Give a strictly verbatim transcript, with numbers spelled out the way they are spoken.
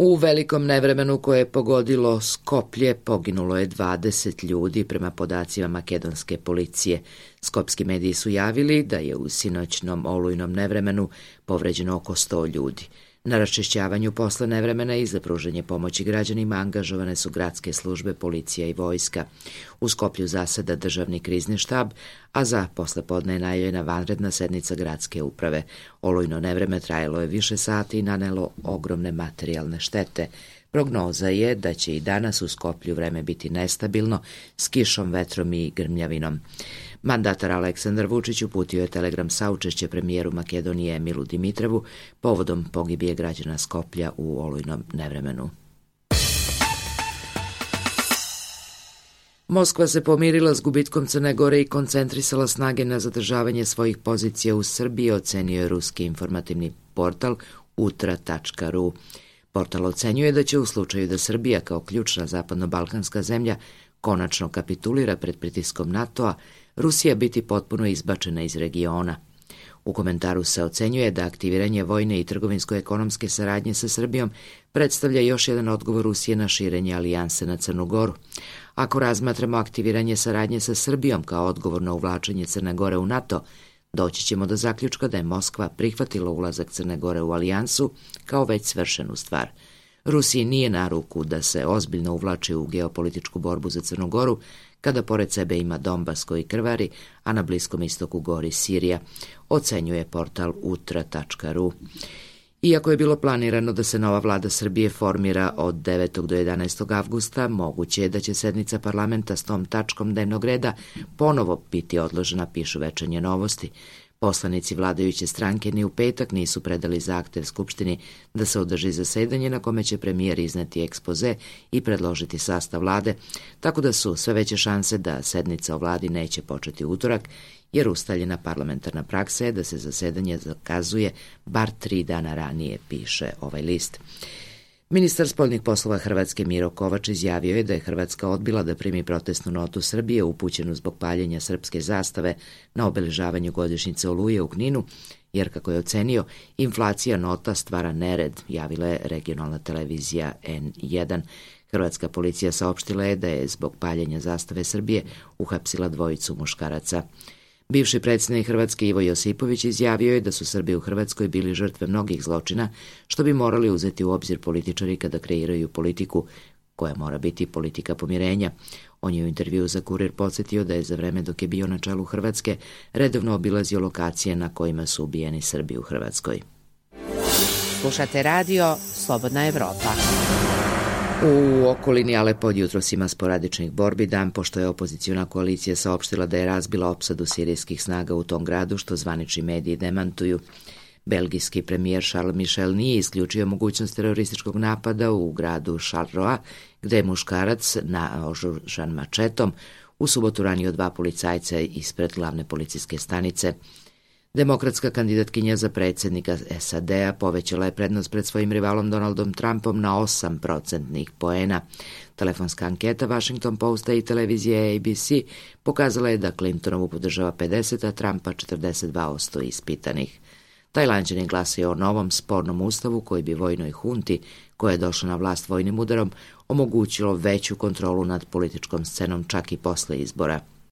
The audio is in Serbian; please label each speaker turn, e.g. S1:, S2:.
S1: U velikom nevremenu koje je pogodilo Skoplje poginulo je dvadeset ljudi prema podacima makedonske policije. Skopski mediji su javili da je u sinoćnom olujnom nevremenu povređeno oko sto ljudi. Na raščišćavanju posle nevremena i za pružanje pomoći građanima angažovane su gradske službe, policija i vojska. U Skoplju zaseda državni krizni štab, a za poslepodne je najavljena vanredna sednica gradske uprave. Olujno nevreme trajalo je više sati i nanelo ogromne materijalne štete. Prognoza je da će i danas u Skoplju vreme biti nestabilno, s kišom, vetrom i grmljavinom. Mandatar Aleksandar Vučić uputio je telegram saučešće premijeru Makedonije Emilu Dimitrevu povodom pogibije građana Skoplja u olujnom nevremenu. Moskva se pomirila s gubitkom Crne Gore i koncentrisala snage na zadržavanje svojih pozicija u Srbiji, ocenio je ruski informativni portal utra tačka ru. Portal ocenjuje da će u slučaju da Srbija kao ključna zapadno-balkanska zemlja konačno kapitulira pred pritiskom NATO-a, Rusija biti potpuno izbačena iz regiona. U komentaru se ocenjuje da aktiviranje vojne i trgovinsko-ekonomske saradnje sa Srbijom predstavlja još jedan odgovor Rusije na širenje alijanse na Crnu Goru. Ako razmatramo aktiviranje saradnje sa Srbijom kao odgovor na uvlačenje Crne Gore u NATO, doći ćemo do zaključka da je Moskva prihvatila ulazak Crne Gore u alijansu kao već svršenu stvar. Rusiji nije na ruku da se ozbiljno uvlači u geopolitičku borbu za Crnu Goru, kada pored sebe ima Donbas koji krvari, a na Bliskom istoku gori Sirija, ocenjuje portal utra tačka ru. Iako je bilo planirano da se nova vlada Srbije formira od devetog do jedanaestog avgusta, moguće je da će sednica parlamenta s tom tačkom dnevnog reda ponovo biti odložena, pišu Večernje novosti. Poslanici vladajuće stranke ni u petak nisu predali zahtev Skupštini da se održi zasedanje na kome će premijer izneti ekspoze i predložiti sastav vlade, tako da su sve veće šanse da sednica o vladi neće početi u utorak, jer ustaljena parlamentarna praksa je da se zasedanje zakazuje bar tri dana ranije, piše ovaj list. Ministar spoljnih poslova Hrvatske Miro Kovač izjavio je da je Hrvatska odbila da primi protestnu notu Srbije upućenu zbog paljenja srpske zastave na obeležavanju godišnjice Oluje u Kninu, jer, kako je ocenio, inflacija nota stvara nered, javila je regionalna televizija en jedan. Hrvatska policija saopštila je da je zbog paljenja zastave Srbije uhapsila dvojicu muškaraca. Bivši predsjednik Hrvatske Ivo Josipović izjavio je da su Srbi u Hrvatskoj bili žrtve mnogih zločina, što bi morali uzeti u obzir političari kada kreiraju politiku, koja mora biti politika pomirenja. On je u intervjuu za Kurir podsjetio da je za vreme dok je bio na čelu Hrvatske redovno obilazio lokacije na kojima su ubijeni Srbi u Hrvatskoj.
S2: Slušate radio Slobodna Evropa.
S1: U okolini Alepa od jutros ima sporadičnih borbi, dan pošto je opoziciona koalicija saopštila da je razbila opsadu sirijskih snaga u tom gradu, što zvanični mediji demantuju. Belgijski premijer Charles Michel nije isključio mogućnost terorističkog napada u gradu Charleroi, gde je muškarac naoružan mačetom u subotu ranio dva policajca ispred glavne policijske stanice. Demokratska kandidatkinja za predsjednika es a de a povećala je prednost pred svojim rivalom Donaldom Trumpom na osam procentnih poena. Telefonska anketa Washington Posta i televizije a be ce pokazala je da Clintonovu podržava pedeset, a Trumpa četrdeset dva posto ispitanih. Tajlanđani glasaju o novom spornom ustavu koji bi vojnoj hunti, koja je došla na vlast vojnim udarom, omogućilo veću kontrolu nad političkom scenom čak i posle izbora.